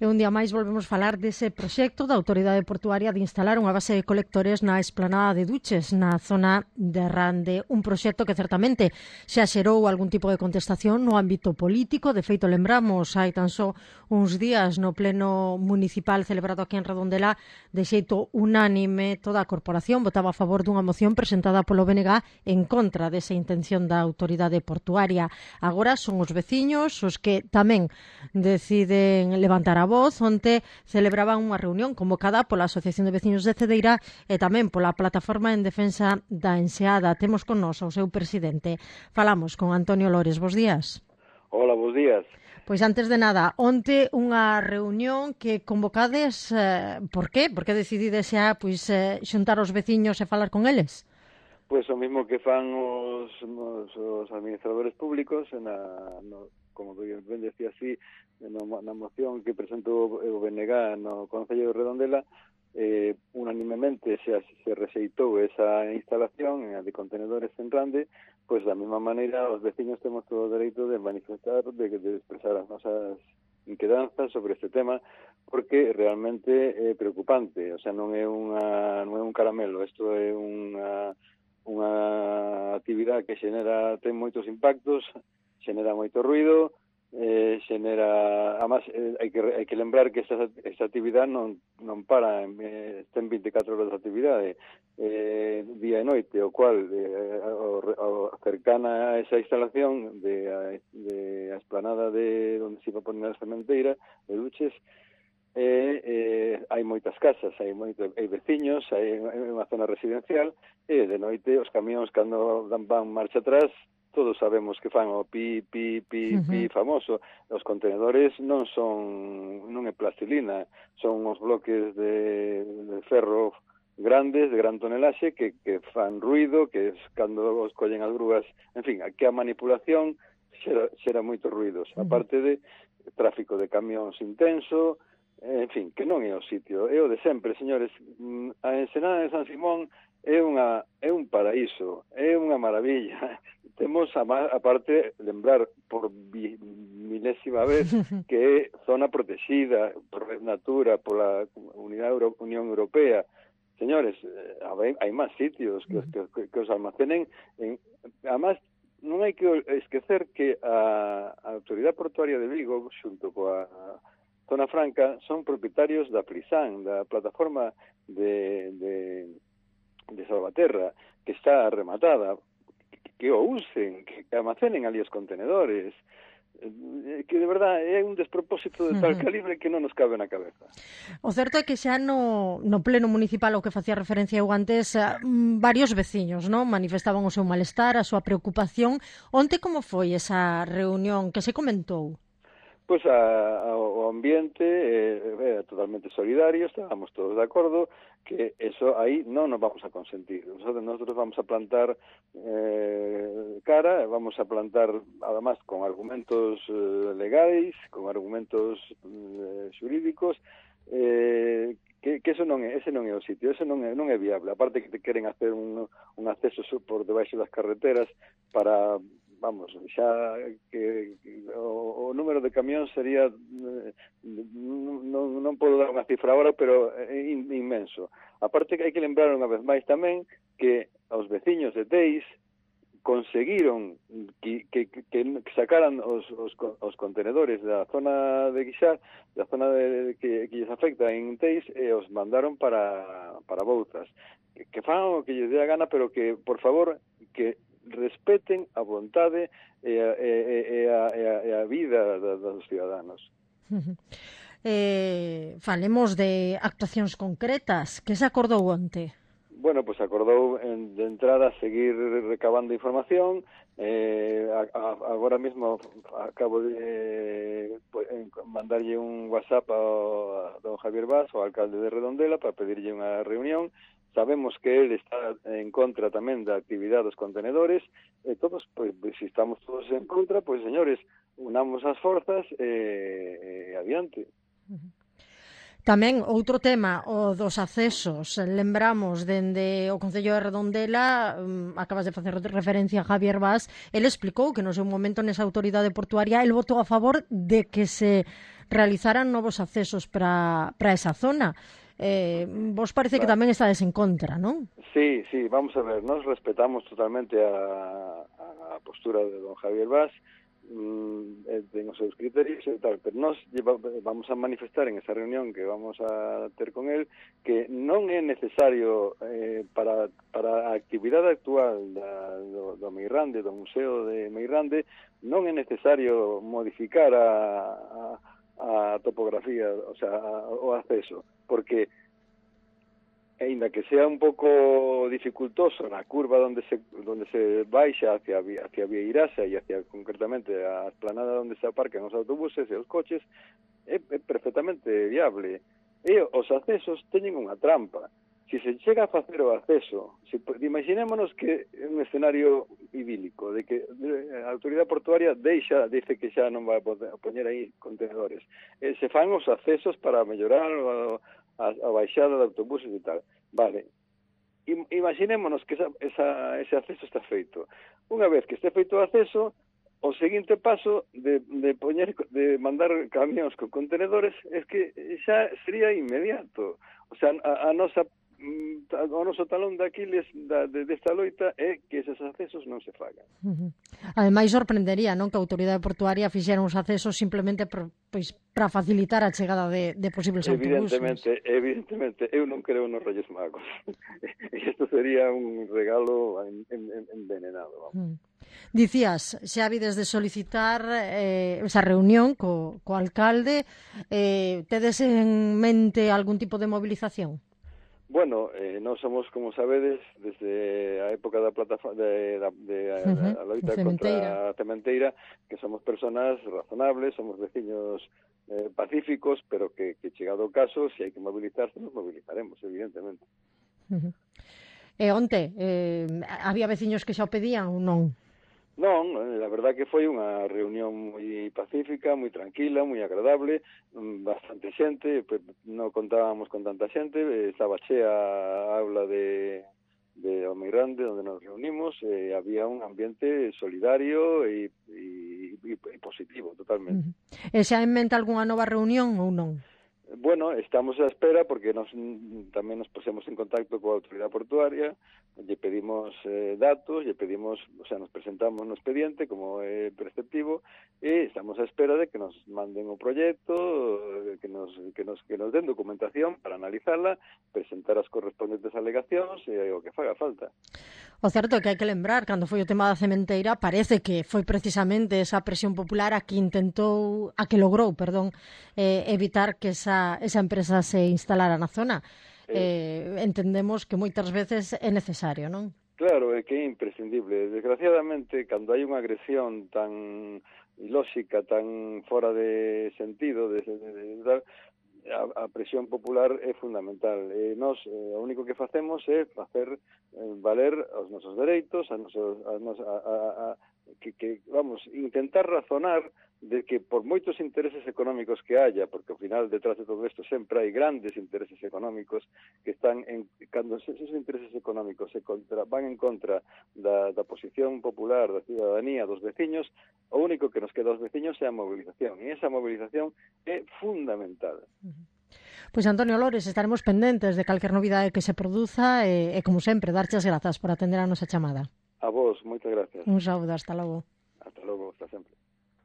E un día máis volvemos falar dese proxecto da Autoridade Portuaria de instalar unha base de colectores na esplanada de Duches, na zona de Rande. Un proxecto que certamente xa xerou algún tipo de contestación no ámbito político. De feito, lembramos, hai tan só uns días no pleno municipal celebrado aquí en Redondela, de xeito unánime, toda a corporación votaba a favor dunha moción presentada polo BNG en contra desa intención da Autoridade Portuaria. Agora son os veciños os que tamén deciden levantar a voz. Onte celebraban unha reunión convocada pola Asociación de Veciños de Cedeira e tamén pola Plataforma en Defensa da Enseada. Temos con nós o seu presidente. Falamos con Antonio Lores. Bos días. Hola, bos días. Pois antes de nada, onte unha reunión que convocades, por qué? Por que decidides xa xuntar os veciños e falar con eles? Pois o mismo que fan os administradores públicos, como ben decía así, na moción que presentou o BNG no Concello de Redondela, unanimemente se rexeitou esa instalación de contenedores en Rande. Pois da mesma maneira os veciños temos todo o dereito de manifestar, de expresar as nosas inquedanzas sobre este tema, porque realmente é preocupante. O sea, non é un caramelo, isto é unha actividade que ten moitos impactos, xenera moito ruido, además hai que lembrar que esta actividade non para, ten 24 horas de actividade, día e noite, o cual cercana a esa instalación de a esplanada de onde se iba a poner a sementeira de Duches, hai moitas casas, hai veciños, hai unha zona residencial, e de noite os camións cando van marcha atrás, todos sabemos que fan o pi famoso. Os contenedores non é plastilina, son uns bloques de ferro grandes, de gran tonelaxe, que fan ruido, que cando os collen as grúas, en fin, que a manipulación xera moitos ruidos, aparte de tráfico de camións intenso. En fin, que non é o sitio, é o de sempre, señores. A ensenada de San Simón é un paraíso, é unha maravilla. Temos, aparte, lembrar por milésima vez que é zona protegida por Natura, pola Unión Europea. Señores, hai máis sitios que os almacenen. Además, non hai que esquecer que a Autoridade Portuaria de Vigo, xunto coa Zona Franca, son propietarios da Frisán, da plataforma de Salvaterra, que está rematada, que o usen, que almacenen ali os contenedores, que de verdad é un despropósito de tal calibre que non nos cabe na cabeza. O certo é que xa no pleno municipal, ao que facía referencia eu antes, varios veciños, non, manifestaban o seu malestar, a súa preocupación. Onte como foi esa reunión que se comentou? Pois o ambiente era totalmente solidario, estábamos todos de acordo que eso aí non nos vamos a consentir. Nosotros vamos a plantar cara, vamos a plantar, además, con argumentos legais, con argumentos xurídicos, que ese non é o sitio, ese non é viable. Aparte que queren hacer un acceso por debaixo das carreteras para... Vamos, xa que o número de camións sería, non podo dar unha cifra agora, pero é inmenso. Aparte que hai que lembrar unha vez máis tamén que os veciños de Teis conseguiron que sacaran os contenedores da zona de Guixar, da zona que lles afecta en Teis, e os mandaron para Bouzas. Que fan o que lles dé a gana, pero que, por favor, que respeten a vontade e a vida dos ciudadanos. Falemos de actuacións concretas. Que se acordou onte? Bueno, pues acordou de entrada seguir recabando información. Agora mesmo acabo de mandarlle un WhatsApp a don Javier Vaz, o alcalde de Redondela, para pedirlle unha reunión. Sabemos que él está en contra tamén da actividade dos contenedores, e todos, pois, se estamos todos en contra, pois, señores, unamos as forzas e adiante. Tamén outro tema, o dos accesos. Lembramos dende o Concello de Redondela, acabas de facer referencia a Javier Vaz, ele explicou que no seu momento nesa autoridade portuaria el votou a favor de que se realizaran novos accesos para esa zona. Vos parece que tamén estades en contra, non? Sí, vamos a ver, nos respetamos totalmente a postura de don Javier Vaz, ten os seus criterios e tal, pero nós vamos a manifestar en esa reunión que vamos a ter con el que non é necesario para a actividade actual do Meirande, do Museo de Meirande, non é necesario modificar a topografía, o sea, o acceso, porque aínda que sea un pouco dificultoso na curva onde se baixa hacia Vieirasa e hacia concretamente a esplanada onde se aparcan os autobuses e os coches, é perfectamente viable. E os accesos teñen unha trampa. Si se chega a facer o acceso, imaginémonos que é un escenario idílico, de que a autoridade portuaria dice que xa non vai poñer aí contenedores. Se fan os accesos para mellorar a baixada de autobuses e tal. Vale. Imaginémonos que ese acceso está feito. Unha vez que este feito o acceso, o seguinte paso de mandar camións con contenedores es que xa sería inmediato. O sea, o noso talón de Aquiles desta loita é que eses accesos non se fagan. Ademais, sorprendería, non, que a autoridade portuaria fixera uns accesos simplemente para facilitar a chegada de posibles autobuses. Evidentemente, eu non creo nos Reyes Magos. Isto sería un regalo envenenado. Dicías, xa habides de solicitar esa reunión co alcalde. Tedes en mente algún tipo de movilización? Bueno, nós somos, como sabedes, desde a época da plataforma a loita contra a cementeira, que somos personas razonables, somos veciños pacíficos, pero que chegado o caso, se hai que mobilizarse, nos mobilizaremos, evidentemente. Onte, había veciños que xa o pedían ou non? Non, a verdad que foi unha reunión moi pacífica, moi tranquila, moi agradable, bastante xente, non contábamos con tanta xente, estaba chea a aula de Meirande onde nos reunimos, había un ambiente solidario e positivo, totalmente. E xa en mente algunha nova reunión ou non? Bueno, estamos á espera porque tamén nos pusemos en contacto coa autoridade portuaria, lle pedimos datos, nos presentamos no expediente como é preceptivo e estamos á espera de que nos manden o proxecto, que nos den documentación para analizarla, presentar as correspondentes alegacións e o que faga falta. O certo é que hai que lembrar, cando foi o tema da cementeira, parece que foi precisamente esa presión popular a que logrou, evitar que esa empresa se instalara na zona. Entendemos que moitas veces é necesario, non? Claro, é que é imprescindible. Desgraciadamente, cando hai unha agresión tan ilóxica, tan fora de sentido, a presión popular é fundamental. Nós, o único que facemos é facer valer os nosos dereitos, intentar razonar de que por moitos intereses económicos que haya, porque ao final detrás de todo isto sempre hai grandes intereses económicos que están cando esos intereses económicos van en contra da posición popular da ciudadanía, dos veciños, o único que nos queda aos veciños é a movilización, e esa movilización é fundamental. Pois Antonio Lores, estaremos pendentes de calquer novidade que se produza e como sempre, darche as grazas por atender a nosa chamada. A vos, moitas gracias. Un saúdo, hasta logo. Hasta logo, hasta sempre.